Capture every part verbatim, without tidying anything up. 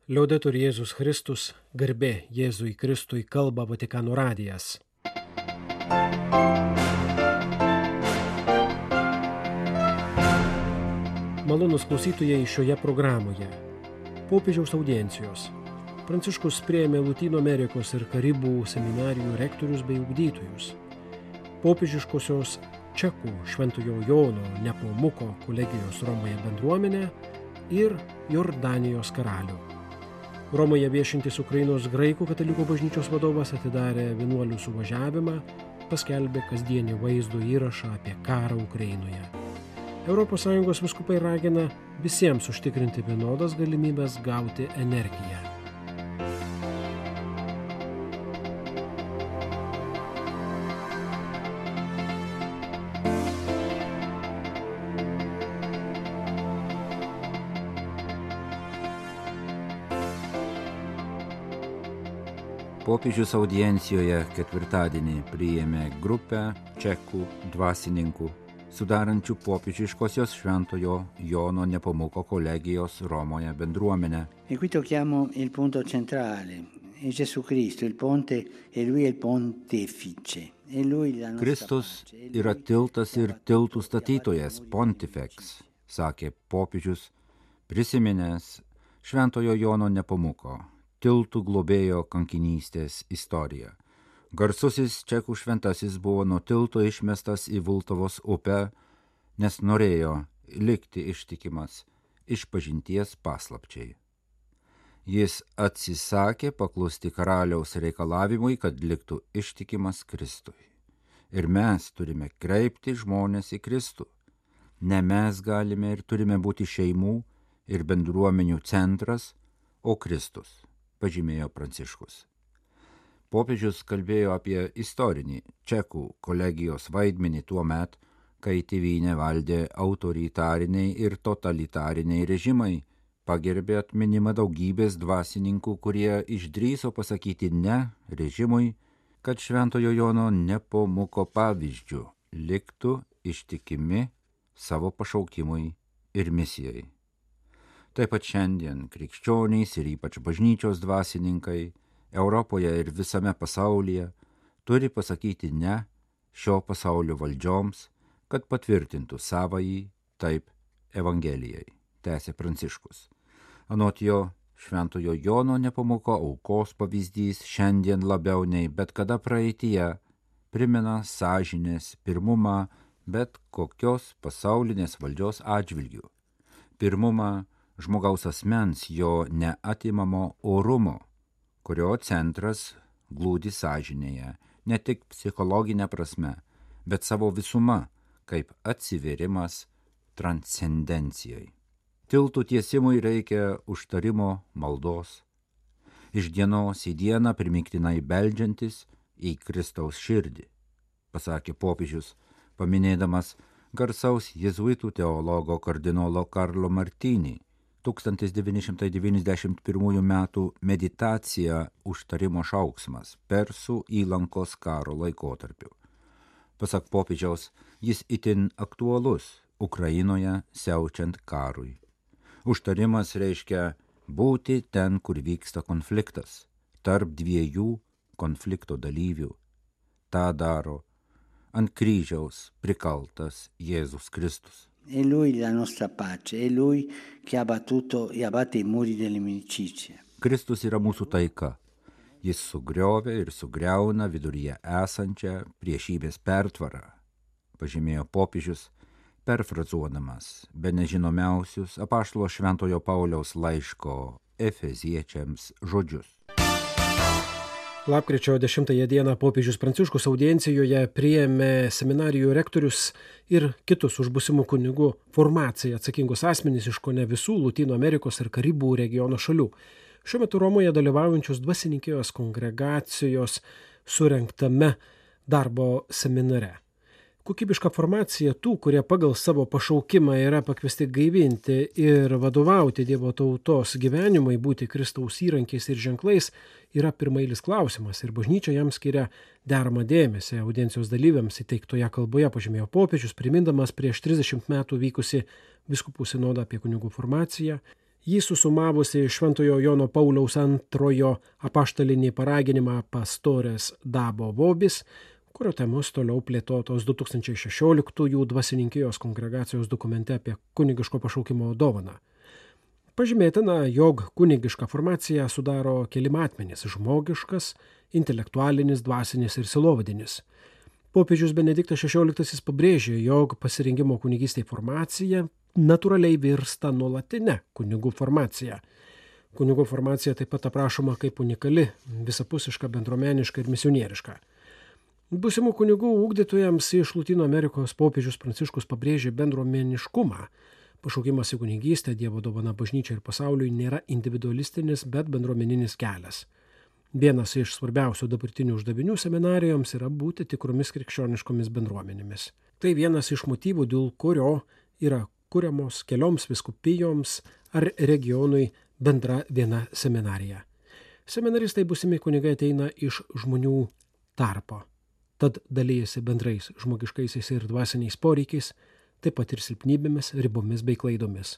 Liaudetur Jėzus Kristus, garbė Jėzui Kristui, kalba Vatikano radijas. Malonūs klausytojai šioje programoje. Popiežiaus audiencijos. Pranciškus priėmė Lotynų Amerikos ir Karibų seminarijų rektorius bei ugdytojus. Popiežiškosios Čekų Šventojo Jono Nepomuko kolegijos Romoje bendruomenę ir Jordanijos karalių. Romoje viešintis Ukrainos graikų katalikų bažnyčios vadovas atidarė vienuolių suvažiavimą, paskelbė kasdienį vaizdo įrašą apie karą Ukrainoje. Europos Sąjungos vyskupai ragina visiems užtikrinti vienodas galimybės gauti energiją. Popiežius audiencijoje ketvirtadienį priėmė grupę čekų dvasininkų, sudarančių popiežiškosios Šventojo Jono Nepomuko kolegijos Romoje bendruomenę. E qui tocchiamo il punto centrale. È Gesù Cristo, il ponte, e lui è il pontefice. E lui la nostra Kristus pace. yra tiltas ir tiltų statytojas, pontifex, sakė popiežius, prisiminęs Šventojo Jono Nepomuko, tiltų globėjo kankinystės istoriją. Garsusis čekų šventasis buvo nuo tilto išmestas į Vultavos upę, nes norėjo likti ištikimas išpažinties paslapčiai. Jis atsisakė paklusti karaliaus reikalavimui, kad liktų ištikimas Kristui. Ir mes turime kreipti žmones į Kristų. Ne mes galime ir turime būti šeimų ir bendruomenių centras, o Kristus, pažymėjo Pranciškus. Popiežius kalbėjo apie istorinį čekų kolegijos vaidmenį tuo met, kai tėvynę valdė autoritariniai ir totalitariniai režimai, pagerbė atminimą daugybės dvasininkų, kurie išdrįso pasakyti ne režimui, kad Šventojo Jono Nepomuko pavyzdžiu liktų ištikimi savo pašaukimui ir misijai. Taip pat šiandien krikščionys ir ypač bažnyčios dvasininkai Europoje ir visame pasaulyje turi pasakyti ne šio pasaulio valdžioms, kad patvirtintų savąjį taip Evangelijai, tęsė Pranciškus. Anot jo, Šventojo Jono Nepomuko aukos pavyzdys šiandien labiau nei bet kada praeityje primena sąžinės pirmumą bet kokios pasaulinės valdžios atžvilgių. Pirmumą žmogaus asmens, jo neatimamo orumo, kurio centras glūdi sąžinėje, ne tik psichologinė prasme, bet savo visuma, kaip atsivėrimas transcendencijai. Tiltų tiesimui reikia užtarimo maldos, iš dienos į dieną primiktinai beldžiantis į Kristaus širdį, pasakė popiežius, paminėdamas garsaus jėzuitų teologo kardinolo Karlo Martini tūkstantis devyni šimtai devyniasdešimt pirmųjų metų meditacija užtarimo šauksmas Persų įlankos karo laikotarpiu. Pasak popiežiaus, jis itin aktualus Ukrainoje siaučiant karui. Užtarimas reiškia būti ten, kur vyksta konfliktas, tarp dviejų konflikto dalyvių. Ta daro ant kryžiaus prikaltas Jėzus Kristus. È lui la nostra pace, è lui che ha battuto e abbatte i muri dell'inimicizia. Kristus yra mūsų taika. Jis sugriovė ir sugriauna viduryje esančią priešybės pertvarą, pažymėjo popiežius, perfrazuodamas bene žinomiausius apaštalo Šventojo Pauliaus laiško Efeziečiams žodžius. Lapkričio dešimtąją dieną popiežius Pranciškus audiencijoje priėmė seminarijų rektorius ir kitus už būsimų kunigų formaciją atsakingus asmenys iš kone visų Lotynų Amerikos ir Karibų regiono šalių. Šiuo metu Romoje dalyvaujančios dvasininkijos kongregacijos surengtame darbo seminare. Kokybiška formacija tų, kurie pagal savo pašaukimą yra pakviesti gaivinti ir vadovauti Dievo tautos gyvenimui, būti Kristaus įrankiais ir ženklais, yra pirmailis klausimas ir bažnyčia jam skiria deramą dėmesį. Audiencijos dalyviams įteiktoje kalboje pažymėjo popiežius, primindamas prieš trisdešimt metų vykusi vyskupų sinodą apie kunigų formaciją Jį susumavusi Šventojo Jono Pauliaus antrojo apaštalinį paraginimą Pastores Dabo Vobis, kurio temos toliau plėtotos du tūkstančiai šešioliktųjų dvasininkijos kongregacijos dokumente apie kunigiško pašaukimo dovaną. Pažymėtina, jog kunigišką formaciją sudaro keli matmenys – žmogiškas, intelektualinis, dvasinis ir silovadinis. Popiežius Benediktas šešioliktasis pabrėžė, jog pasirinkimo kunigystei formacija natūraliai virsta nuolatinė kunigų formacija. Kunigų formacija taip pat aprašoma kaip unikali, visapusiška, bendruomeniška ir misionieriška. Būsimų kunigų ugdytojams iš Lotynų Amerikos popiežius Pranciškus pabrėžė bendruomeniškumą. Pašaukimas į kunigystę, Dievo dovana bažnyčiai ir pasauliui nėra individualistinis, bet bendruomeninis kelias. Vienas iš svarbiausių dabartinių uždavinių seminarijoms yra būti tikromis krikščioniškomis bendruomenėmis. Tai vienas iš motyvų, dėl kurio yra kuriamos kelioms vyskupijoms ar regionui bendra viena seminarija. Seminaristai būsimi kunigai ateina iš žmonių tarpo, tad dalyjasi bendrais žmogiškaisiais ir dvasiniais poreikiais, taip pat ir silpnybėmis, ribomis bei klaidomis.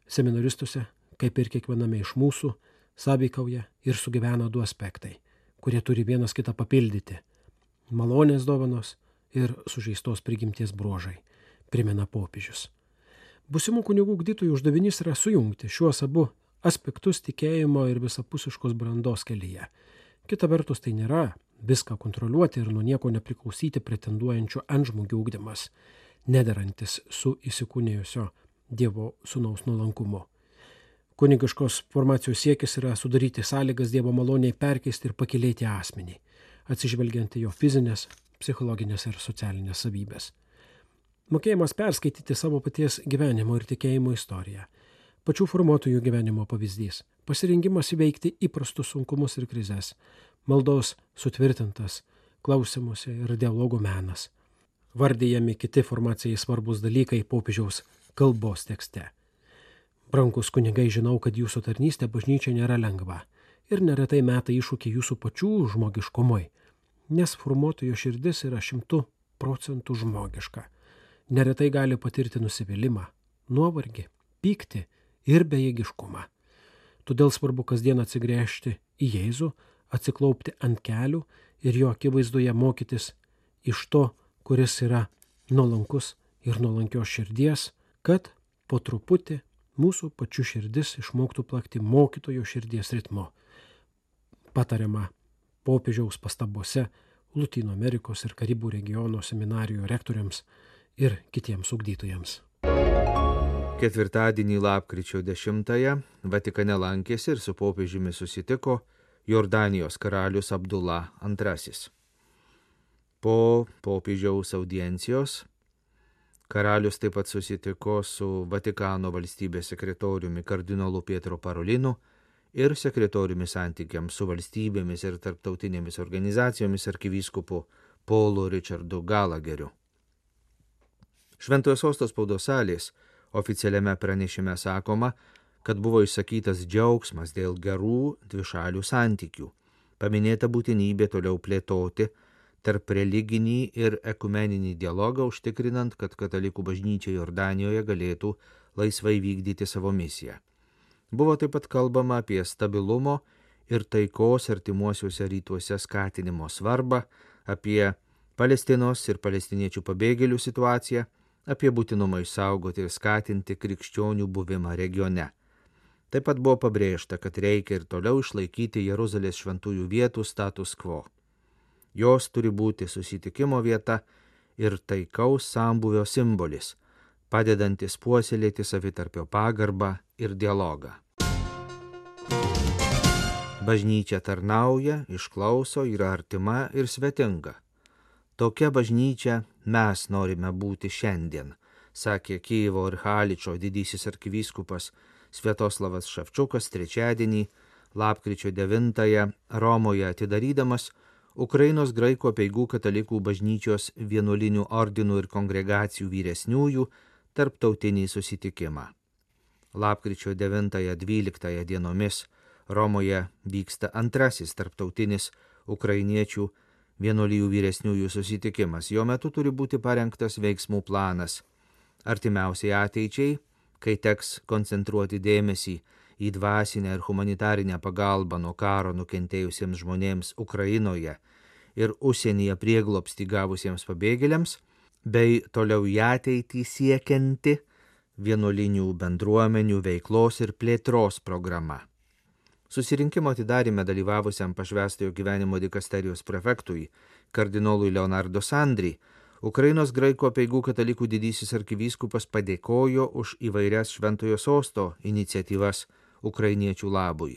Seminaristuose, kaip ir kiekviename iš mūsų, sąveikauja ir sugyvena du aspektai, kurie turi vienas kitą papildyti – malonės dovanos ir sužeistos prigimties bruožai, primena popiežius. Būsimų kunigų ugdytojų uždavinys yra sujungti šiuos abu aspektus tikėjimo ir visapusiškos brandos kelyje. Kita vertus, tai nėra viską kontroliuoti ir nuo nieko nepriklausyti pretenduojančių antžmogių ugdymas, nederantis su įsikūnijusio Dievo sūnaus nuolankumu. Kunigiškos formacijos siekis yra sudaryti sąlygas Dievo maloniai perkeisti ir pakylėti asmenį, atsižvelgiant į jo fizinės, psichologinės ir socialinės savybės. Mokėjimas perskaityti savo paties gyvenimo ir tikėjimo istoriją, pačių formuotojų gyvenimo pavyzdys, pasirengimas įveikti įprastus sunkumus ir krizes, maldos sutvirtintas, klausimuose ir dialogo menas. Vardijami kiti formacijai svarbus dalykai popiežiaus kalbos tekste. Brangus kunigai, žinau, kad jūsų tarnystė bažnyčia nėra lengva ir neretai meta iššūkį jūsų pačių žmogiškumui, nes formuotojo širdis yra šimtų procentų žmogiška. Neretai gali patirti nusivylimą, nuovargį, pyktį ir bejėgiškumą. Todėl svarbu kasdien atsigręžti į Jėzų, atsiklaupti ant kelių ir jo akivaizdoje mokytis iš to, kuris yra nuolankus ir nuolankios širdies, kad po truputį mūsų pačių širdis išmoktų plakti mokytojo širdies ritmu. Patariama popiežiaus pastabose Lotynų Amerikos ir Karibų regiono seminarijų rektoriams ir kitiems ugdytojams. Ketvirtadienį lapkričio dešimtąją Vatikane lankėsi ir su popiežiumi susitiko Jordanijos karalius Abdula antrasis. Po popiežiaus audiencijos karalius taip pat susitiko su Vatikano valstybės sekretoriumi kardinolu Pietro Parolinu ir sekretoriumi santykiams su valstybėmis ir tarptautinėmis organizacijomis arkivyskupu Paulu Richardu Galageriu. Šventojo sosto spaudos salės oficialiame pranešime sakoma, kad buvo išsakytas džiaugsmas dėl gerų dvišalių santykių, paminėta būtinybė toliau plėtoti tarp religinį ir ekumeninį dialogą, užtikrinant, kad katalikų bažnyčia Jordanijoje galėtų laisvai vykdyti savo misiją. Buvo taip pat kalbama apie stabilumo ir taikos artimuosiuose rytuose skatinimo svarbą, apie Palestinos ir palestiniečių pabėgėlių situaciją, apie būtinumą išsaugoti ir skatinti krikščionių buvimą regione. Taip pat buvo pabrėžta, kad reikia ir toliau išlaikyti Jeruzalės šventųjų vietų status quo. Jos turi būti susitikimo vieta ir taikaus sambūvio simbolis, padedantis puoselėti savitarpio pagarbą ir dialogą. Bažnyčia tarnauja, išklauso, yra artima ir svetinga. Tokia bažnyčia mes norime būti šiandien, sakė Kijevo ir Haličo didysis arkivyskupas Sviatoslavas Ševčiukas trečiadienį, lapkričio devintąją Romoje atidarydamas Ukrainos graikų apeigų katalikų bažnyčios vienuolinių ordinų ir kongregacijų vyresniųjų tarptautinį susitikimą. Lapkričio devintąją dvyliktąją dienomis Romoje vyksta antrasis tarptautinis ukrainiečių vienuolijų vyresniųjų susitikimas. Jo metu turi būti parengtas veiksmų planas artimiausiai ateičiai, kai teks koncentruoti dėmesį į dvasinę ir humanitarinę pagalbą nuo karo nukentėjusiems žmonėms Ukrainoje ir užsienyje prieglobstį gavusiems pabėgėliams, bei toliau į ateitį siekianti vienuolinių bendruomenių veiklos ir plėtros programa. Susirinkimo atidaryme dalyvavusiam pašvęstojo gyvenimo dikasterijos prefektui, kardinolui Leonardo Sandri, Ukrainos graikų apeigų katalikų didysis arkivyskupas padėkojo už įvairias šventojo sosto iniciatyvas ukrainiečių labui.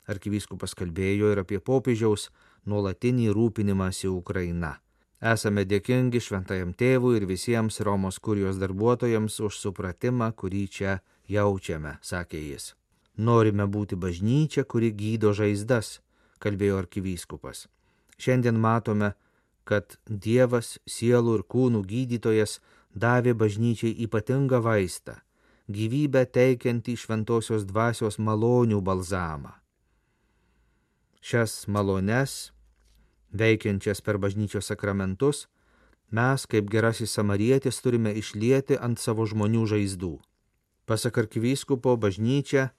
Arkivyskupas kalbėjo ir apie popiežiaus nuolatinį rūpinimąsi Ukraina. Esame dėkingi šventajam tėvui ir visiems Romos kurijos darbuotojams už supratimą, kurį čia jaučiame, sakė jis. Norime būti bažnyčia, kuri gydo žaizdas, kalbėjo arkivyskupas. Šiandien matome, kad Dievas, sielų ir kūnų gydytojas, davė bažnyčiai ypatingą vaistą, gyvybę teikiantį šventosios dvasios malonių balzamą. Šias malones, veikiančias per bažnyčios sakramentus, mes, kaip gerasis samarietis, turime išlieti ant savo žmonių žaizdų. Pasak arkivyskupo, bažnyčia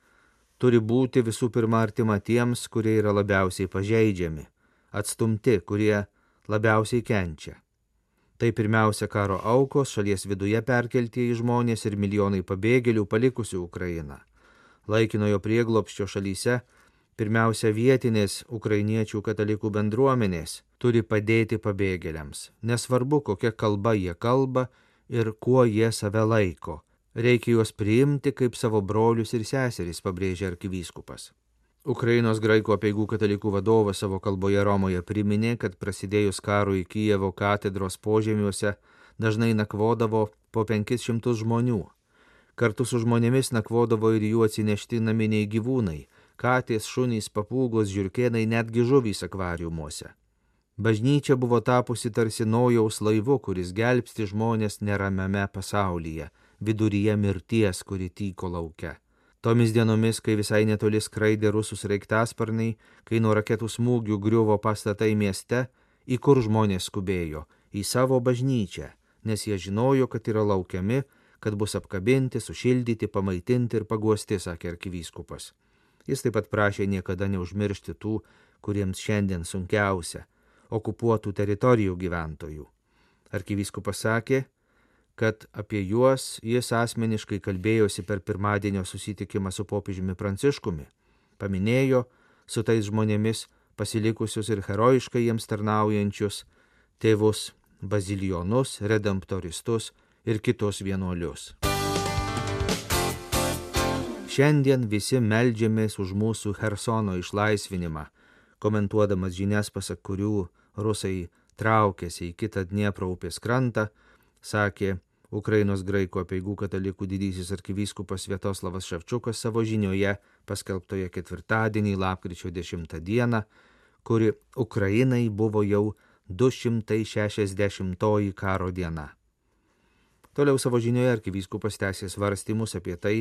turi būti visų pirma artima tiems, kurie yra labiausiai pažeidžiami, atstumti, kurie labiausiai kenčia. Tai pirmiausia karo aukos, šalies viduje perkeltieji žmonės ir milijonai pabėgėlių palikusių Ukrainą. Laikinojo prieglobsčio šalyse pirmiausia vietinės ukrainiečių katalikų bendruomenės turi padėti pabėgėliams. Nesvarbu, kokia kalba jie kalba ir kuo jie save laiko. Reikia juos priimti kaip savo brolius ir seseris, pabrėžė arkivyskupas. Ukrainos graikų apeigų katalikų vadovas savo kalboje Romoje priminė, kad prasidėjus karui Kijevo katedros požemiuose dažnai nakvodavo po penkis šimtus žmonių. Kartu su žmonėmis nakvodavo ir jų atsinešti naminiai gyvūnai – katės, šunys, papūgos, žiurkėnai, netgi žuvys akvariumuose. Bažnyčia buvo tapusi tarsi Nojaus laivu, kuris gelbsti žmonės neramiame pasaulyje, viduryje mirties, kuri tyko lauke. Tomis dienomis, kai visai netoli skraidė rusų sraigtasparniai, kai nuo raketų smūgių griuvo pastatai mieste, į kur žmonės skubėjo – į savo bažnyčią, nes jie žinojo, kad yra laukiami, kad bus apkabinti, sušildyti, pamaitinti ir paguosti, sakė arkivyskupas. Jis taip pat prašė niekada neužmiršti tų, kuriems šiandien sunkiausia – okupuotų teritorijų gyventojų. Arkivyskupas sakė, kad apie juos jis asmeniškai kalbėjosi per pirmadienio susitikimą su popiežiumi Pranciškumi. Paminėjo su tais žmonėmis pasilikusius ir herojiškai jiems tarnaujančius tėvus bazilijonus, redemptoristus ir kitus vienuolius. Šiandien visi meldžiamės už mūsų Chersono išlaisvinimą, komentuodamas žinias, pasak kurių rusai traukėsi į kitą Dniepro upės krantą, sakė Ukrainos graikų apeigų katalikų didysis arkivyskupas Sviatoslavas Ševčiukas savo žinioje paskelbtoje ketvirtadienį lapkričio dešimtą dieną, kuri Ukrainai buvo jau du šimtai šešiasdešimtoji karo diena. Toliau savo žinioje arkivyskupas tęsė svarstymus apie tai,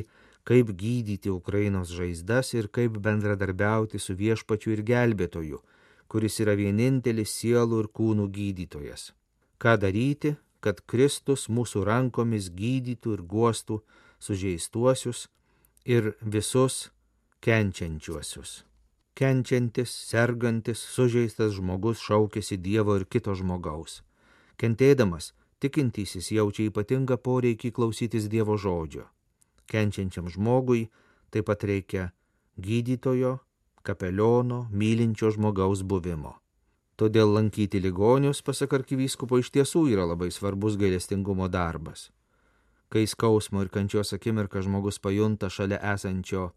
kaip gydyti Ukrainos žaizdas ir kaip bendradarbiauti su viešpačiu ir gelbėtoju, kuris yra vienintelis sielų ir kūnų gydytojas. Ką daryti, kad Kristus mūsų rankomis gydytų ir guostų sužeistuosius ir visus kenčiančiuosius. Kenčiantis, sergantis, sužeistas žmogus šaukėsi Dievo ir kito žmogaus. Kentėdamas, tikintysis jaučia ypatingą poreikį klausytis Dievo žodžio. Kenčiančiam žmogui taip pat reikia gydytojo, kapeliono, mylinčio žmogaus buvimo. Todėl lankyti ligonius, pasak arkivyskupo, iš tiesų yra labai svarbus gailestingumo darbas. Kai skausmo ir kančios akimirką žmogus pajunta šalia esančio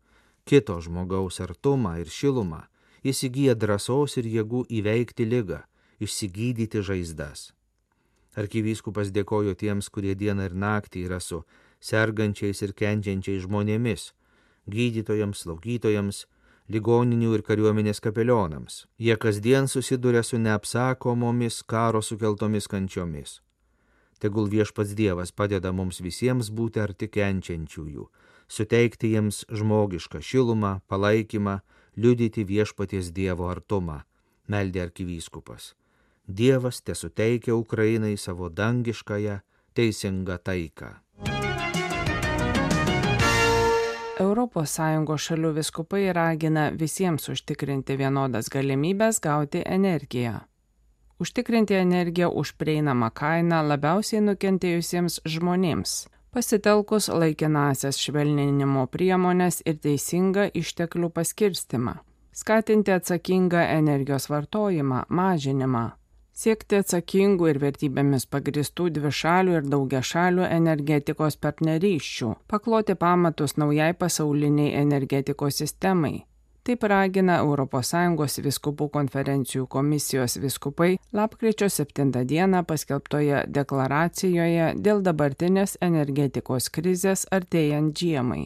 kito žmogaus artumą ir šilumą, jis įgyja drąsos ir jėgų įveikti ligą, išsigydyti žaizdas. Arkivyskupas dėkojo tiems, kurie dieną ir naktį yra su sergančiais ir kenčiančiais žmonėmis, gydytojams, slaugytojams, ligoninių ir kariuomenės kapelionams. Jie kasdien susiduria su neapsakomomis karo sukeltomis kančiomis. Tegul viešpats Dievas padeda mums visiems būti arti kenčiančiųjų, suteikti jiems žmogišką šilumą, palaikymą, liudyti viešpaties Dievo artumą, meldė arkivyskupas. Dievas tesuteikia Ukrainai savo dangiškąją teisingą taiką. Europos Sąjungos šalių vyskupai ragina visiems užtikrinti vienodas galimybės gauti energiją. Užtikrinti energiją už prieinamą kainą labiausiai nukentėjusiems žmonėms, pasitelkus laikinąsias švelninimo priemones ir teisingą išteklių paskirstimą, skatinti atsakingą energijos vartojimą, mažinimą, siekti atsakingų ir vertybėmis pagristų dvišalių ir daugiašalių energetikos partnerysčių, pakloti pamatus naujai pasauliniai energetikos sistemai. Taip ragina Europos Sąjungos vyskupų konferencijų komisijos vyskupai lapkričio septintą dieną paskelbtoje deklaracijoje dėl dabartinės energetikos krizės artėjant žiemai.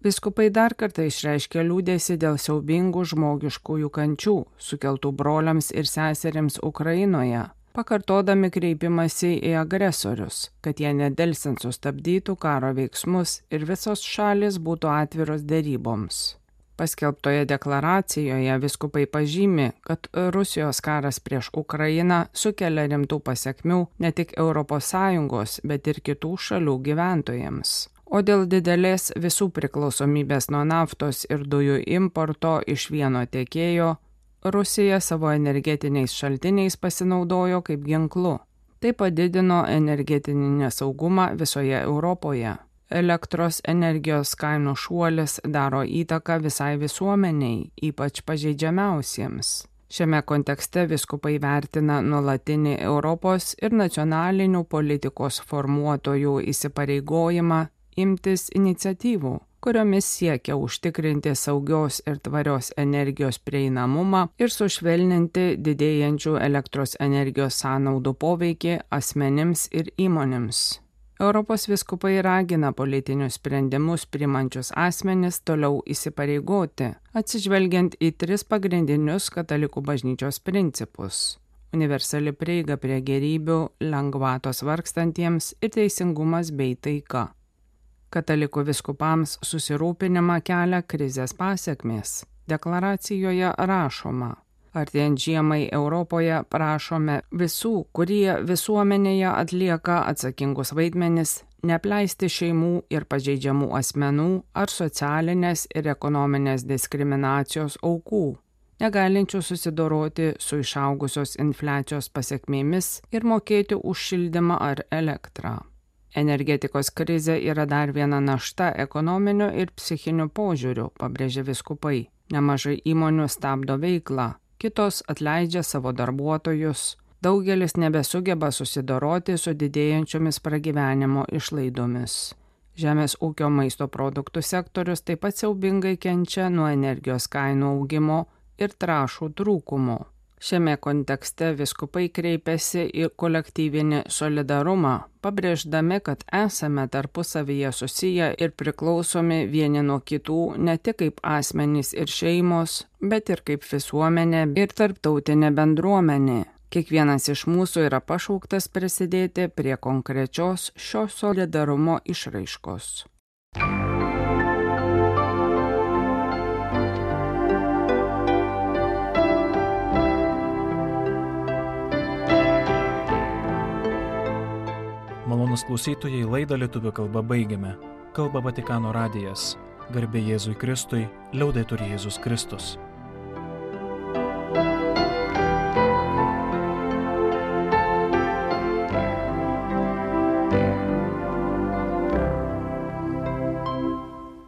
Vyskupai dar kartą išreiškė liūdesį dėl siaubingų žmogiškųjų kančių, sukeltų broliams ir seserims Ukrainoje, pakartodami kreipimąsi į agresorius, kad jie nedelsiant sustabdytų karo veiksmus ir visos šalis būtų atviros deryboms. Paskelbtoje deklaracijoje vyskupai pažymi, kad Rusijos karas prieš Ukrainą sukelia rimtų pasekmių ne tik Europos Sąjungos, bet ir kitų šalių gyventojams. O dėl didelės visų priklausomybės nuo naftos ir dujų importo iš vieno tiekėjo, Rusija savo energetiniais šaltiniais pasinaudojo kaip ginklu. Tai padidino energetinį nesaugumą visoje Europoje. Elektros energijos kainų šuolis daro įtaką visai visuomeniai, ypač pažeidžiamiausiems. Šiame kontekste vyskupai vertina nuolatinį Europos ir nacionalinių politikos formuotojų įsipareigojimą imtis iniciatyvų, kuriomis siekia užtikrinti saugios ir tvarios energijos prieinamumą ir sušvelninti didėjančių elektros energijos sąnaudų poveikį asmenims ir įmonėms. Europos vyskupai ragina politinius sprendimus priimančius asmenis toliau įsipareigoti, atsižvelgiant į tris pagrindinius katalikų bažnyčios principus: universali prieiga prie gėrybių, lengvatos vargstantiems ir teisingumas bei taika. Katalikų vyskupams susirūpinimą kelia krizės pasekmės. Deklaracijoje rašoma: artėjant žiemai Europoje prašome visų, kurie visuomenėje atlieka atsakingus vaidmenis, neapleisti šeimų ir pažeidžiamų asmenų ar socialinės ir ekonominės diskriminacijos aukų, negalinčių susidoroti su išaugusios infliacijos pasekmėmis ir mokėti už šildymą ar elektrą. Energetikos krizė yra dar viena našta ekonominiu ir psichiniu požiūriu, pabrėžia vyskupai. Nemažai įmonių stabdo veiklą, kitos atleidžia savo darbuotojus, daugelis nebesugeba susidoroti su didėjančiomis pragyvenimo išlaidomis. Žemės ūkio maisto produktų sektorius taip pat siaubingai kenčia nuo energijos kainų augimo ir trąšų trūkumo. Šiame kontekste vyskupai kreipiasi į kolektyvinį solidarumą, pabrėždami, kad esame tarpusavyje susiję ir priklausomi vieni nuo kitų ne tik kaip asmenys ir šeimos, bet ir kaip visuomenė ir tarptautinė bendruomenė. Kiekvienas iš mūsų yra pašauktas prisidėti prie konkrečios šio solidarumo išraiškos. Malonūs klausytojai, laidą lietuvių kalba baigiame. Kalba Vatikano radijas. Garbė Jėzui Kristui, liaudetur Jėzus Kristus.